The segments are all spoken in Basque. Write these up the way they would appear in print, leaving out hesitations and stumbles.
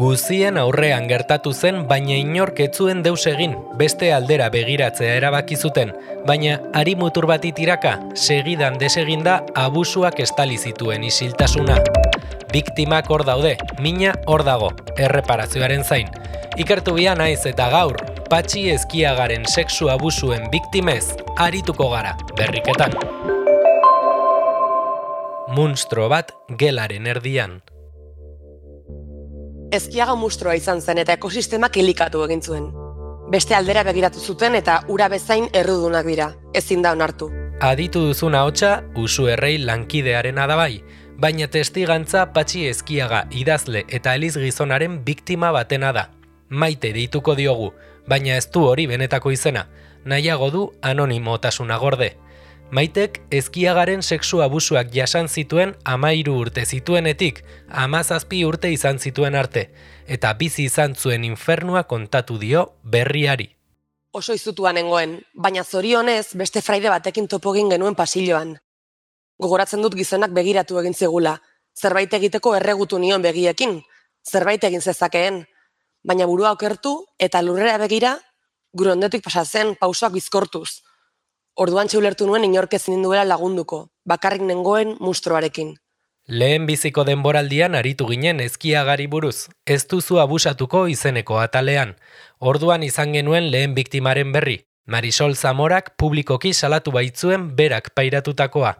Guzien aurrean gertatu zen, baina inork ez zuen deus egin, beste aldera begiratzea erabaki zuten, baina hari mutur bati tiraka, segidan deseginda abusuak estali zituen isiltasuna. Biktimak hor daude, mina hor dago, erreparazioaren zain. Ikertu bia naiz eta gaur, Patxi Ezkiagaren sexu abusuen biktimez arituko gara, berriketan. Munstro bat gelaren erdian. Ezkiaga mustroa izan zen eta ekosistemak elikatu egin zuen. Beste aldera begiratu zuten eta ura bezain errudunak dira, ezin da onartu. Aditu duzun ahotsa Usu Errei lankidearena da bai, baina testigantza Patxi Ezkiaga idazle eta eliz gizonaren biktima batena da. Maite deituko diogu, baina ez du hori benetako izena, nahiago du anonimotasuna gorde. Maitek Ezkiagaren sexu abusuak jasan zituen 13 urte zituenetik, 17 urte izan zituen arte, eta bizi izan zuen infernua kontatu dio berriari. Oso izutua nengoen, baina zorionez beste fraide batekin topo egin genuen pasilloan. Gogoratzen dut gizonak begiratu egin zigula, zerbait egiteko erregutu nion begiekin, zerbait egin zezakeen, baina burua okertu eta lurrera begira, gure ondotik pasatzen pausoak bizkortuz. Orduan ulertu nuen inork ezin ninduela lagunduko, bakarrik nengoen mustroarekin. Lehen biziko denboraldian aritu ginen Ezkiagari buruz, ez duzu abusatuko izeneko atalean. Orduan izan genuen lehen biktimaren berri, Marisol Zamorak publikoki salatu baitzuen berak pairatutakoa.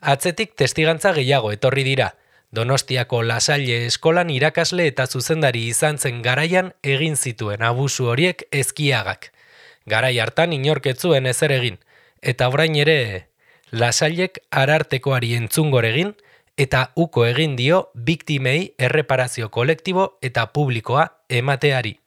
Atzetik testigantza gehiago etorri dira. Donostiako Lasalle eskolan irakasle eta zuzendari izan zen garaian egin zituen abusu horiek Ezkiagak. Garai hartan inork ez zuen ezer egin. Eta orain ere, Lasallek Arartekoari entzungor egin eta uko egin dio biktimei erreparazio kolektibo eta publikoa emateari.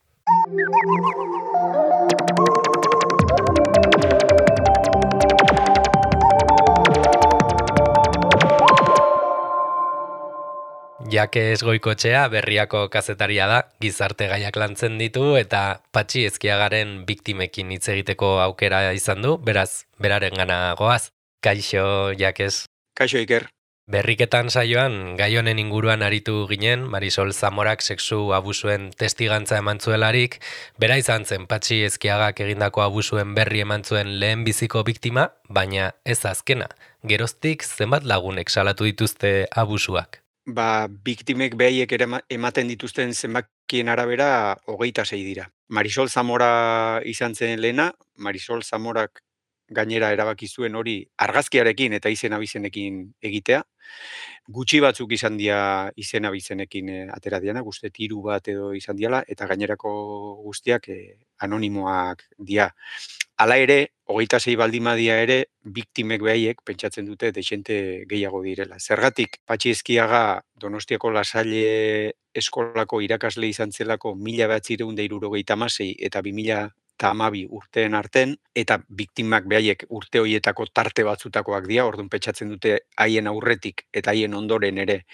Jakes Goikotxea berriako kazetaria da, gizarte gaiak lantzen ditu eta Patxi Ezkiagaren biktimekin hitz egiteko aukera izan du, beraz, beraren gana goaz. Kaixo, Jakes. Kaixo, Iker. Berriketan saioan, gai honen inguruan aritu ginen, Marisol Zamorak sexu abusuen testigantza eman zuelarik, bera izan zen Patxi Ezkiagak egindako abusuen berri eman zuen lehen biziko biktima, baina ez azkena. Geroztik zenbat lagunek salatu dituzte abusuak? Biktimek behaiek ematen dituzten zenbakien arabera 26 dira. Marisol Zamora izan zen lehena, Marisol Zamorak gainera erabaki zuen hori argazkiarekin eta izen abizenekin egitea. Gutxi batzuk izan dira izen abizenekin atera diana, uste 3 bat edo izan diala, eta gainerako guztiak anonimoak dira. Hala ere, 26 baldin badia ere, biktimek behaiek pentsatzen dute dexente gehiago direla. Zergatik, Patxi Ezkiaga Donostiako Lasalle eskolako irakasle izan zelako 1976 eta 2012 urteen arten, eta biktimak behaiek urte horietako tarte batzutakoak dira, orduan pentsatzen dute haien aurretik eta haien ondoren ere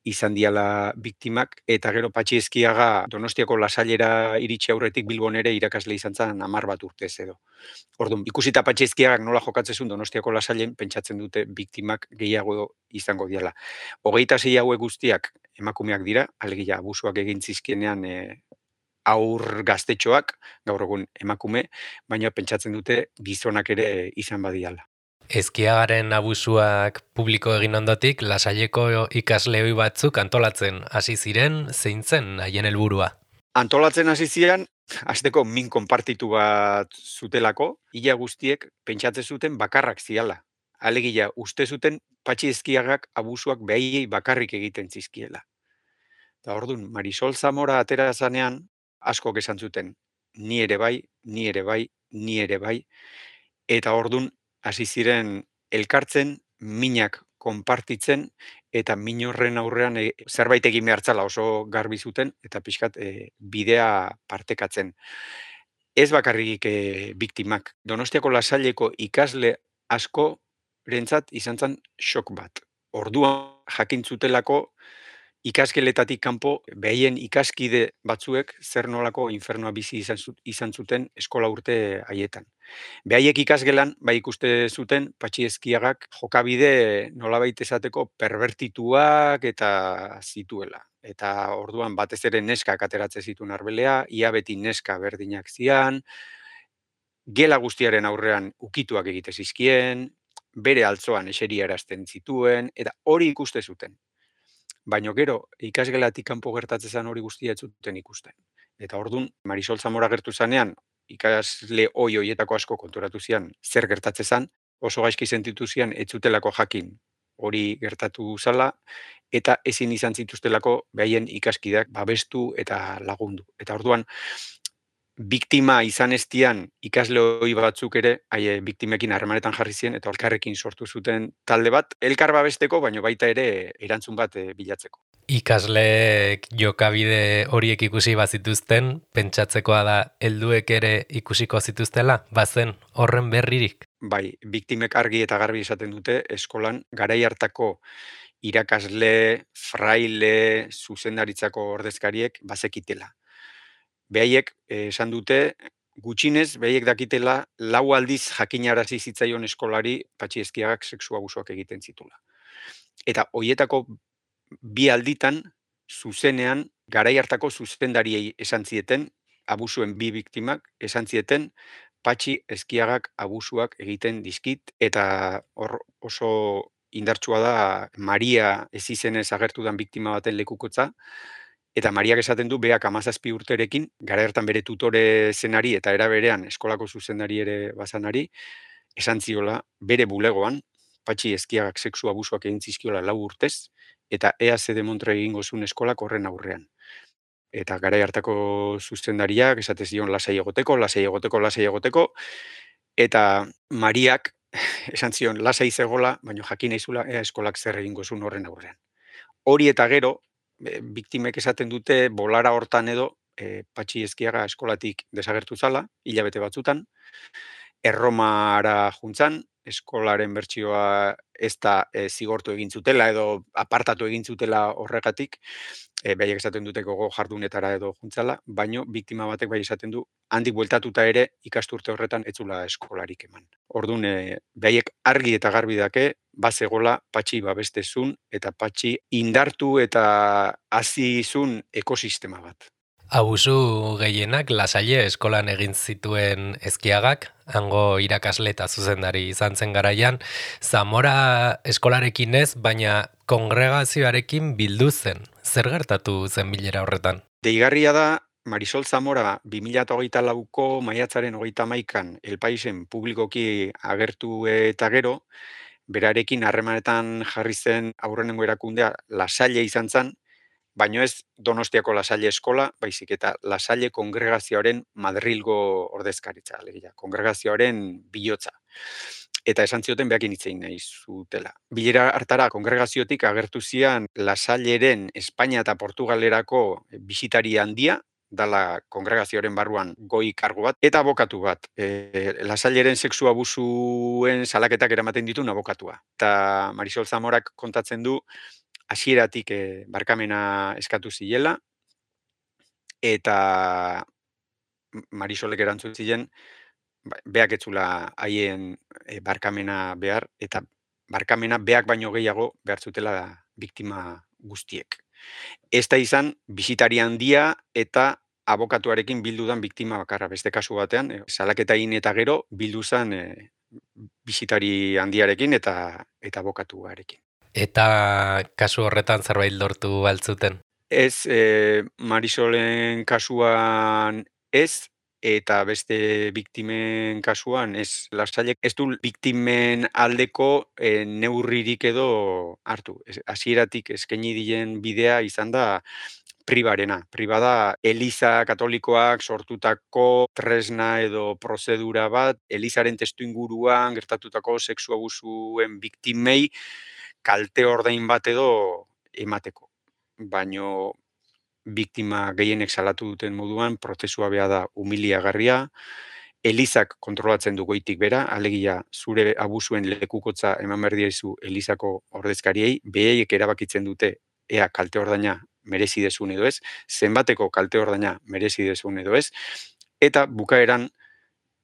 izan diala biktimak, eta gero Patxi Ezkiaga Donostiako Lasallera iritsi aurretik Bilbon ere irakasle izan zen 10 bat urtez edo. Orduan, ikusita Patxi Ezkiagak nola jokatzezun Donostiako Lasallen, pentsatzen dute biktimak gehiago izango diala. 26 hauek guztiak emakumeak dira, alegia abusuak egin zizkienean aur gaztetxoak, gaur egun emakume, baina pentsatzen dute gizonak ere izan badiala. Ezkiagaren abusuak publiko egin ondotik, Lasalleko ikasle ohi batzuk antolatzen hasi ziren, zein zen haien helburua? Antolatzen hasi ziren, hasteko min konpartitu bat zutelako, ia guztiek pentsatzen zuten bakarrak ziala. Alegia, uste zuten Patxi Ezkiagak abusuak behaiei bakarrik egiten zizkiela. Eta orduan, Marisol Zamora atera zanean, askok esan zuten, ni ere bai, ni ere bai, ni ere bai, eta orduan hasi ziren elkartzen, minak konpartitzen, eta min horren aurrean zerbait egin behartzala oso garbi zuten, eta pixkat bidea partekatzen. Ez bakarrik biktimak. Donostiako Lasalleko ikasle asko rentzat izan zen shock bat. Orduan jakin zutelako ikasgeletatik kanpo behien ikaskide batzuek zer nolako infernua bizi izan zuten eskola urte haietan. Behaiek ikasgelan, bai ikuste zuten, Patxi Ezkiagak jokabide nolabait esateko perbertituak eta zituela. Eta orduan batez ere neskak ateratzen zituen arbelea, ia beti neska berdinak zian, gela guztiaren aurrean ukituak egite zizkien, bere altzoan eseriarazten zituen, eta hori ikuste zuten. Baina gero, ikasgelatik kanpo gertatzen zen hori guztia ez zuten ikusten. Eta ordun Marisol Zamora gertu zanean, ikasle hoietako asko konturatu zian zer gertatzen zen, oso gaizki sentitu zian ez zutelako jakin hori gertatu zala, eta ezin izan zituztelako behaien ikaskideak babestu eta lagundu. Eta orduan, biktima izan estian ikasle hoi batzuk ere, biktimekin harremanetan jarri ziren, eta elkarrekin sortu zuten talde bat, elkar babesteko, baina baita ere erantzun bat bilatzeko. Ikasleek jokabide horiek ikusi bazituzten, pentsatzekoa da helduek ere ikusiko zituztela, bazen horren berririk? Bai, biktimek argi eta garbi esaten dute, eskolan garai hartako irakasle, fraile, zuzendaritzako ordezkariek bazekitela. Behaiek esan dute, gutxinez, behaiek dakitela, 4 aldiz jakinarazi zitzaion eskolari Patxi Ezkiagak sexu abusuak egiten zitula. Eta hoietako 2 alditan, zuzenean, garai hartako zuzendariei esan zieten, abusuen 2 biktimak, esan zieten, Patxi Ezkiagak abusuak egiten dizkit, eta hor oso indartsua da Maria ez izenez agertu dan biktima baten lekukotza, eta Mariak esaten du, beak 17 urterekin, gara hartan bere tutore zenari eta era berean eskolako zuzendari ere bazanari, esan ziola bere bulegoan, Patxi Ezkiagak sexu abusuak egin zizkiola 4 urtez, eta ea ze demontre egingo zuen eskolak horren aurrean. Eta garai hartako zuzendariak esate zion lasai egoteko, eta Mariak esan zion lasai zegola, baina jakin naizula ea eskolak zer egingo zuen horren aurrean. Hori eta gero, biktimek esaten dute bolara hortan edo Patxi Ezkiaga eskolatik desagertu zala, hilabete batzutan, Erromara juntzan, eskolaren bertsioa ez da zigortu egin zutela edo apartatu egin zutela horregatik, behaiek esaten dute gogo jardunetara edo juntzala, baino biktima batek bai esaten du, handik bueltatuta ere ikasturte horretan ez zula eskolarik eman. Orduan, behaiek argi eta garbi dake, bazegola Patxi babestezun eta Patxi indartu eta hazizun ekosistema bat. Abusu gehienak Lasalle eskolan egin zituen Ezkiagak, hango irakasle eta zuzendari izan zen garaian, Zamora eskolarekin ez, baina kongregazioarekin bildu zen. Zer gertatu zen bilera horretan? Deigarria da, Marisol Zamora 2024ko maiatzaren 31an El Paisen publikoki agertu eta gero, berarekin harremanetan jarri zen aurrenengo erakundea Lasalle izan zen, baino ez Donostiako Lasalle eskola, baizik eta Lasalle kongregazioaren Madrilgo ordezkaritza, alegia, kongregazioaren bihotza. Eta esan zioten behakin hitz egin nahi zutela. Bilera hartara kongregaziotik agertu zian Lasalleren Espainia eta Portugalerako bisitari handia, dala kongregazioaren barruan goi kargu bat, eta abokatu bat. Lasalleren sexu abusuen salaketak eramaten dituen abokatua. Eta Marisol Zamorak kontatzen du, hasieratik barkamena eskatu zilela, eta Marisolek erantzun ziren, beak etzula haien barkamena behar, eta barkamena beak baino gehiago behar zutela biktima guztiek. Ez da izan, bisitari handia eta abokatuarekin bildudan biktima bakarra. Beste kasu batean, salaketa egin eta gero bildu zen bisitari handiarekin eta abokatuarekin. Eta kasu horretan zerbait lortu altzuten? Ez, Marisolen kasuan ez, eta beste biktimen kasuan ez. Lasailek ez du biktimen aldeko neurririk edo hartu. Hasieratik eskaini dien bidea izan da pribarena. Pribada, Eliza Katolikoak sortutako tresna edo prozedura bat, Elizaren testuinguruan gertatutako sexu abusuen biktimei kalte ordain bat edo emateko. Baino biktima gehienek salatu duten moduan, prozesua beha da humiliagarria, Elizak kontrolatzen du goitik bera, alegia zure abusuen lekukotza eman behar diezu Elizako ordezkariei, behaiek erabakitzen dute ea kalte ordaina merezi dezun edo ez, zenbateko kalte ordaina merezi dezun edo ez, eta bukaeran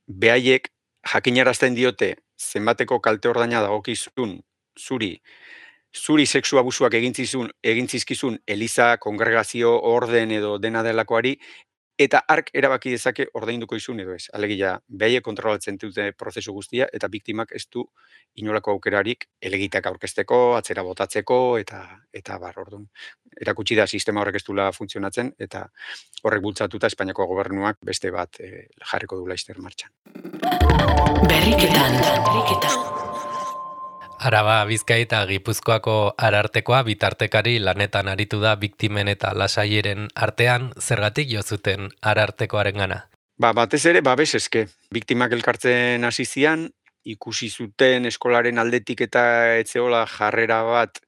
behaiek jakinarazten diote zenbateko kalte ordaina dagokizun zuri sexu abusuak egin zizkizun eliza, kongregazio, orden edo dena delakoari, eta hark erabaki dezake ordainduko izun edo ez. Alegia, behaiek kontrolatzen dute prozesu guztia, eta biktimak ez du inolako aukerarik elegitak aurkezteko, atzera botatzeko, eta orduan. Erakutsi da sistema horrek ez dula funtzionatzen, eta horrek bultzatuta Espainiako gobernuak beste bat jarriko du laster martxan. Araba, Bizkai eta Gipuzkoako arartekoa bitartekari lanetan aritu da biktimen eta lasaieren artean, zergatik jo zuten arartekoarengana. Batez ere, babes eske. Biktimak elkartzen hasi zian, ikusi zuten eskolaren aldetik eta etzeola jarrera bat,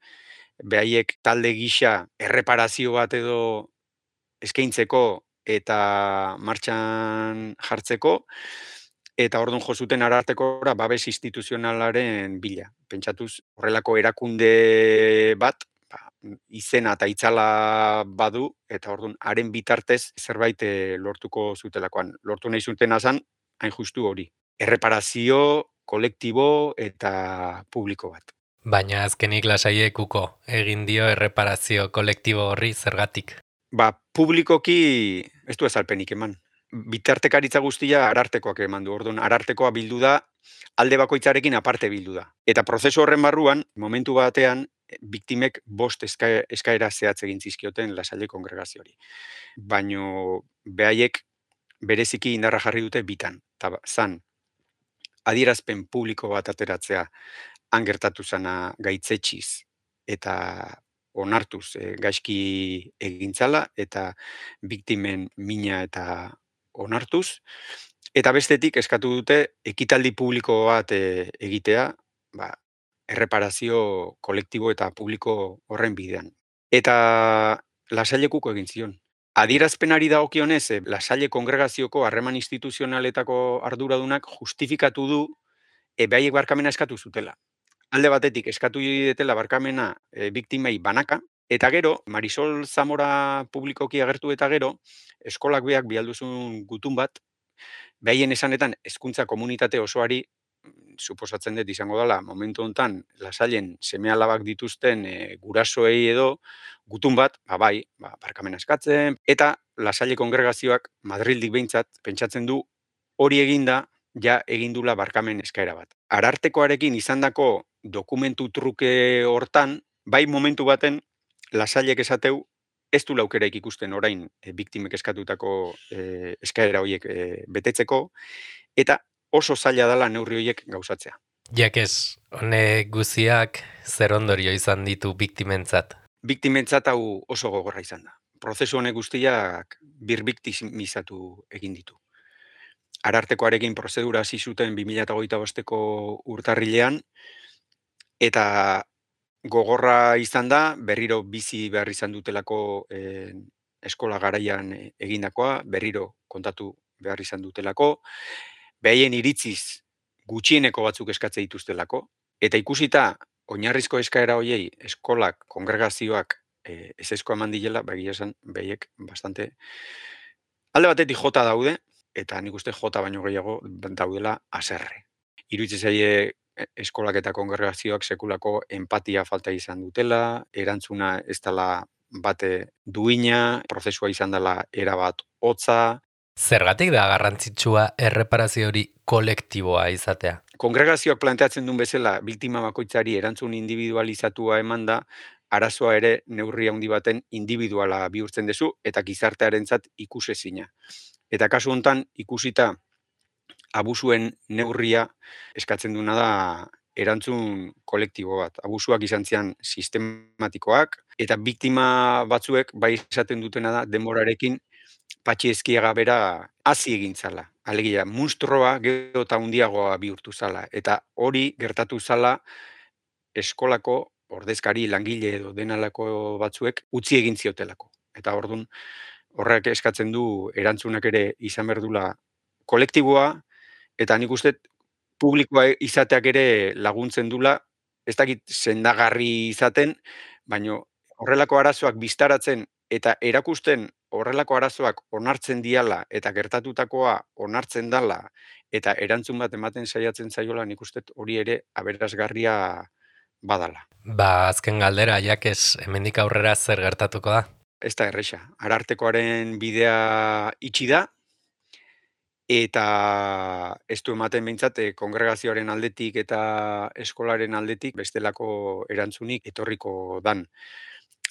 behaiek talde gisa erreparazio bat edo eskaintzeko eta martxan jartzeko, eta orduan jo zuten arartekora babes instituzionalaren bila. Pentsatuz, horrelako erakunde bat, izena eta itzala badu, eta orduan haren bitartez zerbait lortuko zutelakoan. Lortu nahi zuten azan, hain justu hori. Erreparazio, kolektibo eta publiko bat. Baina azkenik lasaiekuko egin dio erreparazio kolektibo horri zergatik. Publikoki ez du azalpenik eman. Bitartekaritza guztia arartekoak eman du. Orduan, arartekoa bildu da, alde bakoitzarekin aparte bildu da. Eta prozesu horren barruan, momentu batean, biktimek 5 eskaera zehatz egin zizkioten Lasalle kongregazioari. Baino behaiek bereziki indarra jarri dute bitan. Eta zan, adierazpen publiko bat ateratzea han gertatu zana gaitzetxiz eta onartuz gaizki egintzala eta biktimen mina eta onartuz. Eta bestetik eskatu dute ekitaldi publiko bat egitea, erreparazio kolektibo eta publiko horren bidean. Eta Lasailekuko egin zion. Adierazpenari dagokionez, Lasalle kongregazioko harreman instituzionaletako arduradunak justifikatu du behaiek barkamena eskatu zutela. Alde batetik eskatu dietela barkamena biktimei banaka, eta gero, Marisol Zamora publikoki agertu eta gero, eskolak beak bialduzun gutun bat, behaien esanetan hezkuntza komunitate osoari, suposatzen dut izango dela, momentu hontan Lasallen seme-alabak dituzten gurasoei edo gutun bat, barkamena eskatzen, eta Lasalle kongregazioak Madrildik behintzat pentsatzen du hori eginda ja egindula barkamen eskaera bat. Arartekoarekin izandako dokumentu truke hortan, bai momentu baten Lasallek esateu ez du laukeraik ikusten orain biktimek eskatutako eskaera horiek betetzeko, eta oso zaila dela neurri horiek gauzatzea. Jakez, honek guziak zer ondorio izan ditu biktimentzat? Biktimentzat hau oso gogorra izan da. Prozesu honek guztiak birbiktimizatu egin ditu. Arartekoarekin prozedura hasi zuten 2025ko urtarrilean, eta gogorra izan da, berriro bizi behar izan dutelako eskola garaian egindakoa, berriro kontatu behar izan dutelako, behaien iritziz gutxieneko batzuk eskatze dituztelako, eta ikusita oinarrizko eskaera hoiei eskolak, kongregazioak ezezko eman dilela, begia esan behaiek bastante alde batetik jota daude, eta nik uste jota baino gehiago daudela haserre. Iruditzen zaie eskolak eta kongregazioak sekulako empatia falta izan dutela, erantzuna ez dela bate duina, prozesua izan dela erabat hotza. Zergatik da garrantzitsua erreparazio hori kolektiboa izatea? Kongregazioak planteatzen duen bezala, biktima bakoitzari erantzun individualizatua eman da, arazoa ere neurri handi baten individuala bihurtzen dezu, eta gizartearentzat ikusezina. Eta kasu hontan ikusita abusuen neurria eskatzen duna da erantzun kolektibo bat. Abusuak izan zian sistematikoak, eta biktima batzuek bai esaten dutena da denborarekin Patxi Ezkiaga bera hazi egin zala. Alegia, munstroa gero eta handiagoa bihurtu zala. Eta hori gertatu zala eskolako ordezkari langile edo denalako batzuek utzi egin ziotelako. Eta orduan horrek eskatzen du erantzunak ere izan berdula kolektiboa, eta nik uste publikoa izateak ere laguntzen dula, ez dakit sendagarri izaten, baino horrelako arazoak biztaratzen eta erakusten horrelako arazoak onartzen diala eta gertatutakoa onartzen dala eta erantzun bat ematen saiatzen zaiola, nik uste hori ere aberasgarria badala. Azken galdera, jakes, hemendik aurrera zer gertatuko da? Ez da erresa. Arartekoaren bidea itxi da, eta ez du ematen behintzat kongregazioaren aldetik eta eskolaren aldetik bestelako erantzunik etorriko dan.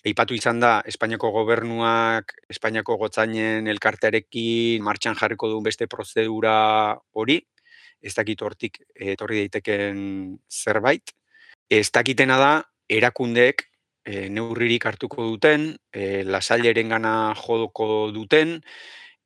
Aipatu izan da, Espainiako gobernuak, Espainiako gotzainen elkartearekin martxan jarriko duen beste prozedura hori, ez dakit hortik etorri daiteken zerbait. Ez dakitena da, erakundeek neurririk hartuko duten, lasailerengana jodoko duten,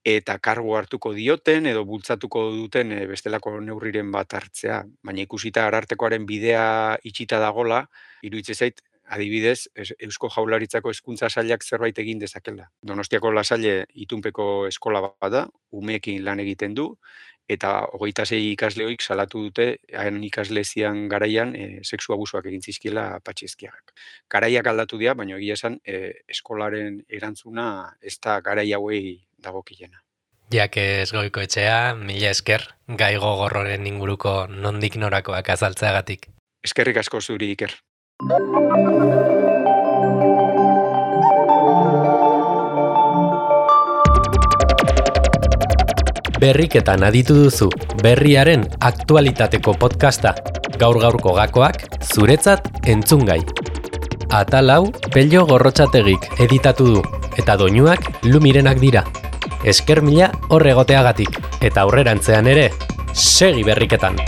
eta kargu hartuko dioten edo bultzatuko duten bestelako neurriren bat hartzea. Baina ikusita Arartekoaren bidea itxita dagola, iruditzen zait, adibidez, Eusko Jaurlaritzako hezkuntza sailak zerbait egin dezakela. Donostiako Lasalle itunpeko eskola bada, umeekin lan egiten du, eta 26 ikasleoik salatu dute, hain ikasle zian garaian, sexu abusuak egin zizkiela Patxizkiagak. Garaiak aldatu dira, baina egia esan, eskolaren erantzuna ez da garai hauei dagokilena. Jakes Goikoetxea, mila esker, gai gogorroren inguruko nondik norakoak azaltzeagatik. Eskerrik asko zuri, Iker. Berriketan aditu duzu, berriaren aktualitateko podcasta. Gaur-gaurko gakoak, zuretzat entzungai. Atal hau, Pello Gorrotxategik editatu du, eta doinuak Lumirenak dira. Esker mila hor egoteagatik, eta aurrerantzean ere, segi berriketan.